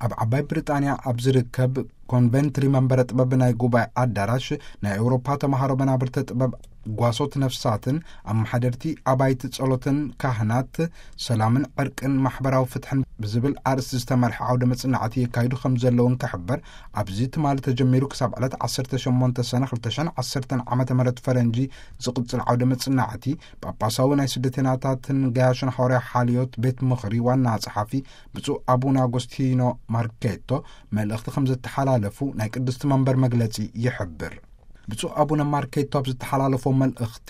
ኣብ ዓባይ ብሪጣንያ ኣብ ዝርከብ ኮንቨንትሪ መንበረ ጥበብ ናይ ጉባኤ ኣዳራሽ ናይ ኤውሮፓ ተምሃሮ መናብርተ ጥበብ ጓሶት ነፍሳትን ኣመሓደርቲ ኣባይቲ ጸሎትን ካህናት ሰላምን ዕርቅን ማሕበራዊ ፍትሕን ብዝብል ኣርእስቲ ዝተመርሐ ዓውደ መጽናዕቲ የካይዱ ከም ዘለውን ክሕበር፣ ኣብዚ ትማሊ ተጀሚሩ ክሳብ ዕለት ዓሰርተ ሸሞንተ ሰነ ክልተ ሽሕን ዓሰርተን ዓመተ ምህረት ፈረንጂ ዝቕጽል ዓውደ መጽናዕቲ ጳጳሳዊ ናይ ስደተኛታትን ገያሾን ሃዋርያ ሓልዮት ቤት ምኽሪ ዋና ጸሓፊ ብፁዕ ኣቡነ ኣጎስቲኖ ማርኬቶ መልእኽቲ ከም ዘተሓላለፉ ናይ ቅድስቲ መንበር መግለጺ ይሕብር። ብፁዕ ኣቡነ ማርኬቶ ኣብ ዝተሓላለፎ መልእኽቲ፣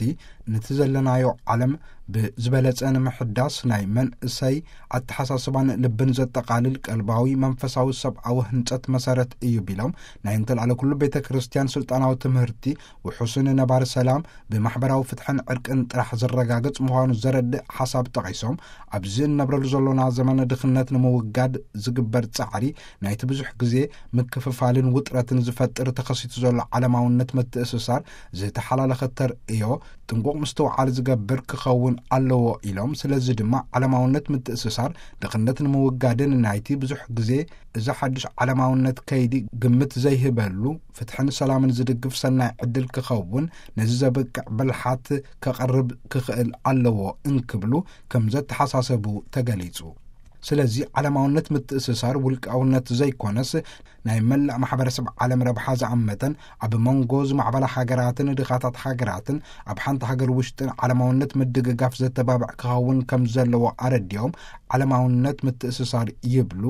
ነቲ ዘለናዮ ዓለም ብዝበለጸ ንምሕዳስ ናይ መንእሰይ ኣተሓሳስባን ልብን ዘጠቓልል ቀልባዊ መንፈሳዊ ሰብኣዊ ህንጸት መሰረት እዩ ቢሎም፣ ናይ እንተልኣለ ኩሉ ቤተ ክርስቲያን ስልጣናዊ ትምህርቲ ውሑስን ነባሪ ሰላም ብማሕበራዊ ፍትሕን ዕርቅን ጥራሕ ዝረጋገጽ ምዃኑ ዘረድእ ሓሳብ ጠቒሶም፣ ኣብዚ እንነብረሉ ዘሎና ዘመነ ድኽነት ንምውጋድ ዝግበር ጻዕሪ ናይቲ ብዙሕ ግዜ ምክፍፋልን ውጥረትን ዝፈጥር ተኸሲቱ ዘሎ ዓለማውነት ምትእስሳር ዝተሓላለኸ ተርእዮ ጥንቁቕ ምስትውዓል ዝገብር ክኸውን ኣለዎ ኢሎም፣ ስለዚ ድማ ዓለማውነት ምትእስሳር ድኽነት ንምውጋድን ናይቲ ብዙሕ ግዜ እዚ ሓድሽ ዓለማውነት ከይዲ ግምት ዘይህበሉ ፍትሕን ሰላምን ዝድግፍ ሰናይ ዕድል ክኸውን ነዚ ዘብቅዕ ብልሓት ከቐርብ ክኽእል ኣለዎ እንክብሉ ከም ዘተሓሳሰቡ ተገሊጹ። ስለዚ ዓለማውነት ምትእስሳር ውልቃውነት ዘይኮነስ ናይ መላእ ማሕበረሰብ ዓለም ረብሓ ዝኣመተን ኣብ መንጎ ዝማዕበላ ሃገራትን ድኻታት ሃገራትን ኣብ ሓንቲ ሃገር ውሽጥን ዓለማውነት ምድግጋፍ ዘተባብዕ ክኸውን ከም ዘለዎ ኣረዲኦም፣ ዓለማውነት ምትእስሳር ይብሉ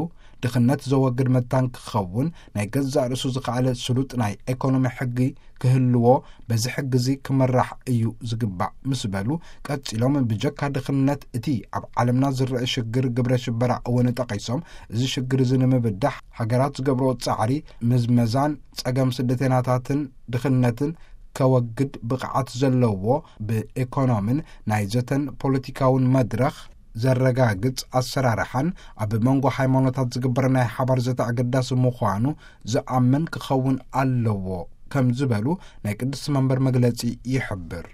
ድኽነት ዘወግድ መታን ክኸውን ናይ ገዛእ ርእሱ ዝኸኣለ ስሉጥ ናይ ኤኮኖሚ ሕጊ ክህልዎ፣ በዚ ሕጊ እዚ ክመራሕ እዩ ዝግባእ ምስ በሉ፣ ቀጺሎም ብጀካ ድኽነት እቲ ኣብ ዓለምና ዝረአ ሽግር ግብረ ሽበራ እውን ጠቒሶም፣ እዚ ሽግር እዚ ንምብዳህ ሃገራት ዝገብርኦ ጻዕሪ ምዝመዛን ጸገም ስደተኛታትን ድኽነትን ከወግድ ብቕዓት ዘለዎ ብኤኮኖምን ናይ ዘተን ፖለቲካውን መድረኽ ዘረጋግጽ ኣሰራርሓን ኣብ መንጎ ሃይማኖታት ዝግበር ናይ ሓባር ዘተ ኣገዳሲ ምዃኑ ዝኣምን ክኸውን ኣለዎ ከም ዝበሉ ናይ ቅድስቲ መንበር መግለጺ ይሕብር።